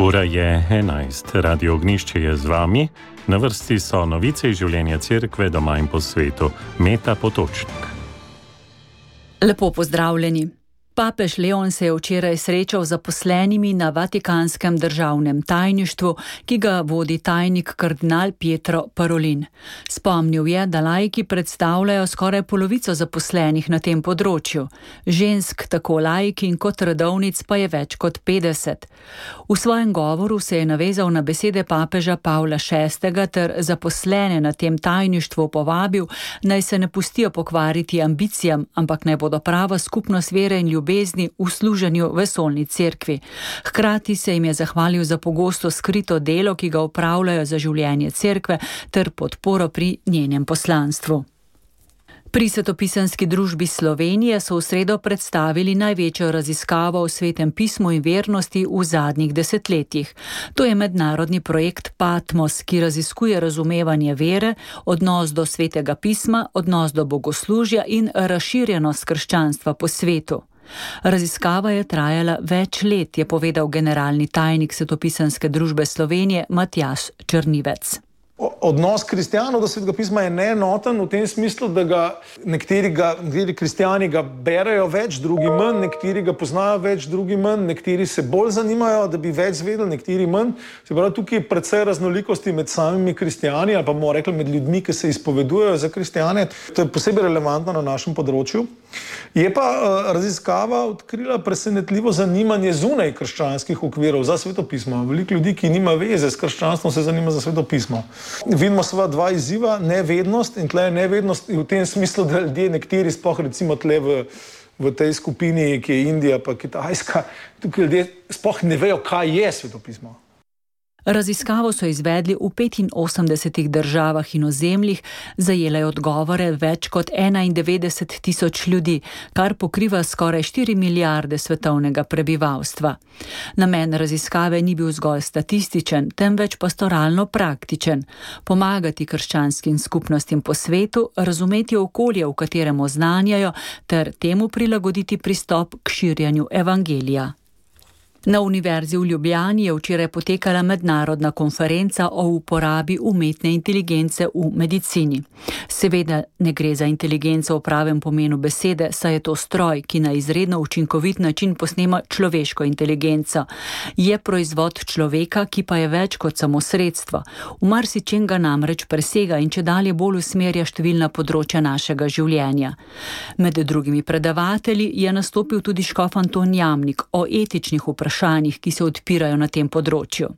Ura je 11, Radio Ognišče je z vami, na vrsti so novice iz življenja cerkve doma in po svetu, Meta Potočnik. Lepo pozdravljeni. Papež Leon se je včeraj srečal z zaposlenimi na Vatikanskem državnem tajništvu, ki ga vodi tajnik kardinal Pietro Parolin. Spomnil je, da laiki predstavljajo skoraj polovico zaposlenih na tem področju. Žensk, tako laikinj kot redovnic, pa je več kot 50. V svojem govoru se je navezal na besede papeža Pavla VI. Ter zaposlene na tem tajništvu povabil, naj se ne pustijo pokvariti ambicijam, ampak naj bodo prava skupnost vere in ljubezni v služenju vesoljni cerkvi. Hkrati se jim je zahvalil za pogosto skrito delo, ki ga opravljajo za življenje cerkve, ter podporo pri njenem poslanstvu. Pri Svetopisanski družbi Slovenije so v sredo predstavili največjo raziskavo o svetem pismu in vernosti v zadnjih desetletjih. To je mednarodni projekt Patmos, ki raziskuje razumevanje vere, odnos do svetega pisma, odnos do bogoslužja in razširjenost krščanstva po svetu. Raziskava je trajala več let, je povedal generalni tajnik Svetopisanske družbe Slovenije Matjaž Črnivec. Odnos kristjanov do svetega pisma je neenoten v tem smislu, da nekateri kristjani ga berejo več, drugi manj, nekateri ga poznajo več, drugi manj, nekateri se bolj zanimajo, da bi več zvedeli, nekateri manj. Se pravi, tukaj je precej raznolikosti med samimi kristjani ali pa bomo rekli med ljudmi, ki se izpovedujejo za kristjane. To je posebej relevantno na našem področju. Je pa raziskava odkrila presenetljivo zanimanje zunaj krščanskih okvirov za svetopismo. Veliko ljudi, ki nima veze s krščanstvom, se zanima za svetopismo. Vidimo seveda dva izziva, nevednost in tle nevednost v tem smislu, da ljudje nekateri sploh recimo tle v tej skupini, ki je Indija pa Kitajska, tukaj ljudje sploh ne vejo, kaj je svetopismo. Raziskavo so izvedli v 85 državah in ozemljih, zajele odgovore več kot 91.000 ljudi, kar pokriva skoraj 4 milijarde svetovnega prebivalstva. Namen raziskave ni bil zgolj statističen, temveč pastoralno praktičen. Pomagati krščanskim skupnostim po svetu, razumeti okolje, v katerem oznanjajo, ter temu prilagoditi pristop k širjanju evangelija. Na Univerzi v Ljubljani je včeraj potekala mednarodna konferenca o uporabi umetne inteligence v medicini. Seveda ne gre za inteligenco v pravem pomenu besede, saj je to stroj, ki na izredno učinkovit način posnema človeško inteligenco. Je proizvod človeka, ki pa je več kot samo sredstvo. V marsičem ga namreč presega in čedalje bolj usmerja številna področja našega življenja. Med drugimi predavatelji je nastopil tudi škof Anton Jamnik o etičnih vprašanjih, ki se odpirajo na tem področju.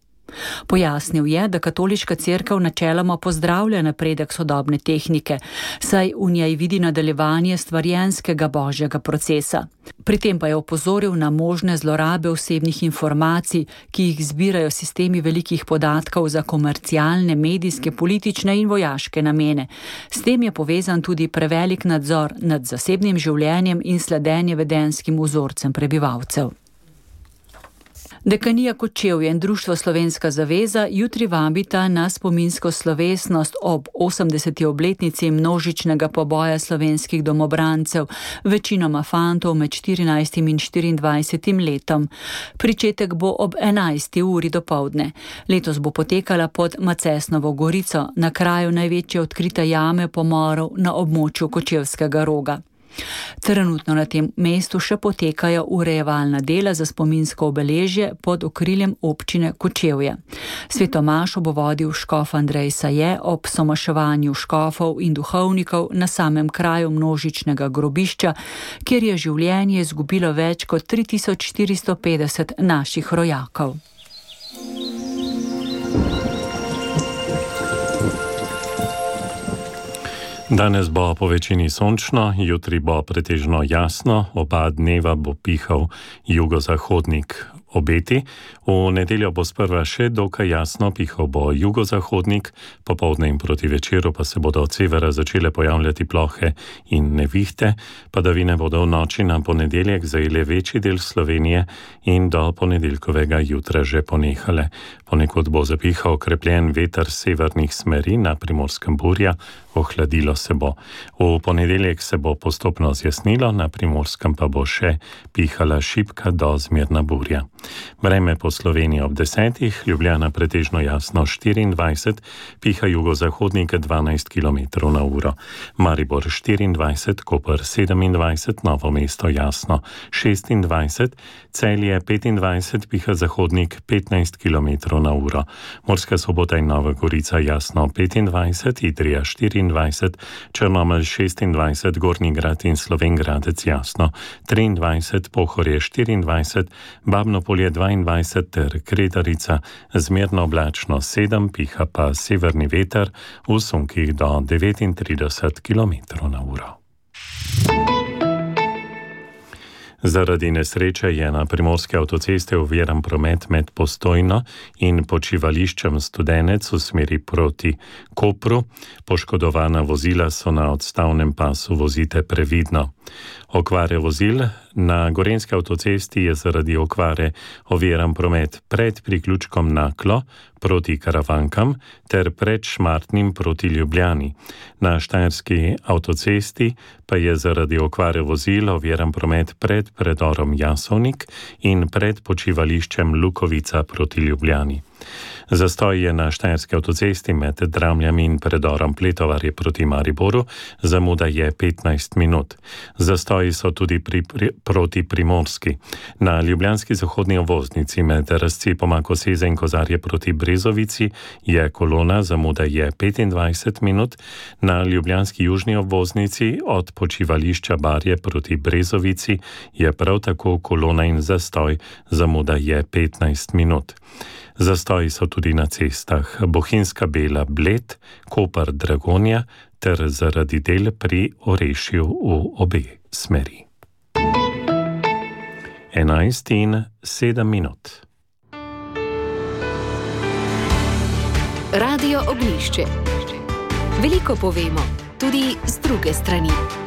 Pojasnil je, da katoliška cerkev načeloma pozdravlja napredek sodobne tehnike, saj v njej vidi nadaljevanje stvarjenskega božjega procesa. Pri tem pa je opozoril na možne zlorabe osebnih informacij, ki jih zbirajo sistemi velikih podatkov za komercialne, medijske, politične in vojaške namene. S tem je povezan tudi prevelik nadzor nad zasebnim življenjem in sledenje vedenskim vzorcem prebivalcev. Dekanija Kočevje in Društvo Slovenska zaveza jutri vabita na spominsko slovesnost ob 80. obletnici množičnega poboja slovenskih domobrancev, večinoma fantov med 14 in 24 letom. Pričetek bo ob 11. uri dopoldne. Letos bo potekala pod Macesnovo gorico, na kraju največje odkrite jame pomorov na območju Kočevskega roga. Trenutno na tem mestu še potekajo urejevalna dela za spominsko obeležje pod okriljem občine Kočevje. Svetomašo bo vodil škof Andrej Saje ob somaševanju škofov in duhovnikov na samem kraju množičnega grobišča, kjer je življenje izgubilo več kot 3450 naših rojakov. Danes bo po večini sončno, jutri bo pretežno jasno, oba dneva bo pihal jugozahodnik. Obeti. V nedeljo bo sprva še dokaj jasno, pihal bo jugozahodnik, popoldne in proti večeru pa se bodo od severa začele pojavljati plohe in nevihte, padavine bodo v noči na ponedeljek zajele večji del Slovenije in do ponedeljkovega jutra že ponehale. Ponekod bo zapihal okrepljen veter severnih smeri, na Primorskem burja, ohladilo se bo. V ponedeljek se bo postopno zjasnilo, na Primorskem pa bo še pihala šibka do zmerna burja. Vreme po Sloveniji ob 10, Ljubljana pretežno jasno 24, piha jugozahodnik 12 km/h. Maribor 24, Koper 27, Novo mesto jasno 26, Celje 25, piha zahodnik 15 km/h. Murska Sobota in Nova Gorica jasno 25, Idrija 24, Črnomelj 26, Gornji Grad in Slovenj Gradec jasno 23, Pohorje 24, Babno Polje 22 ter Kredarica zmerno oblačno 7, piha pa severni veter v sunkih do 39 km/h. Zaradi nesreče je na primorske avtoceste oviran promet med Postojno in počivališčem Studenec v smeri proti Kopru. Poškodovana vozila so na odstavnem pasu, vozite previdno. Okvare vozil na Gorenjski avtocesti je zaradi okvare oviran promet pred priključkom Naklo proti Karavankam ter pred Šmartnim proti Ljubljani. Na Štajerski avtocesti pa je zaradi okvare vozil oviran promet pred predorom Jasovnik in pred počivališčem Lukovica proti Ljubljani. Zastoj je na Štajerski avtocesti med Dramljami in predorom Pletovarje proti Mariboru, zamuda je 15 minut. Zastoji so tudi proti Primorski. Na ljubljanski zahodni obvoznici med razcepoma Koseze in Kozarje proti Brezovici je kolona, zamuda je 25 minut. Na ljubljanski južni obvoznici od počivališča Barje proti Brezovici je prav tako kolona in zastoj, zamuda je 15 minut. Zastoji so tudi na cestah Bohinjska Bela Bled, Koper Dragonja ter zaradi del pri Orešju v obe smeri. 11:07. Radio Oglišče. Veliko povemo, tudi z druge strani.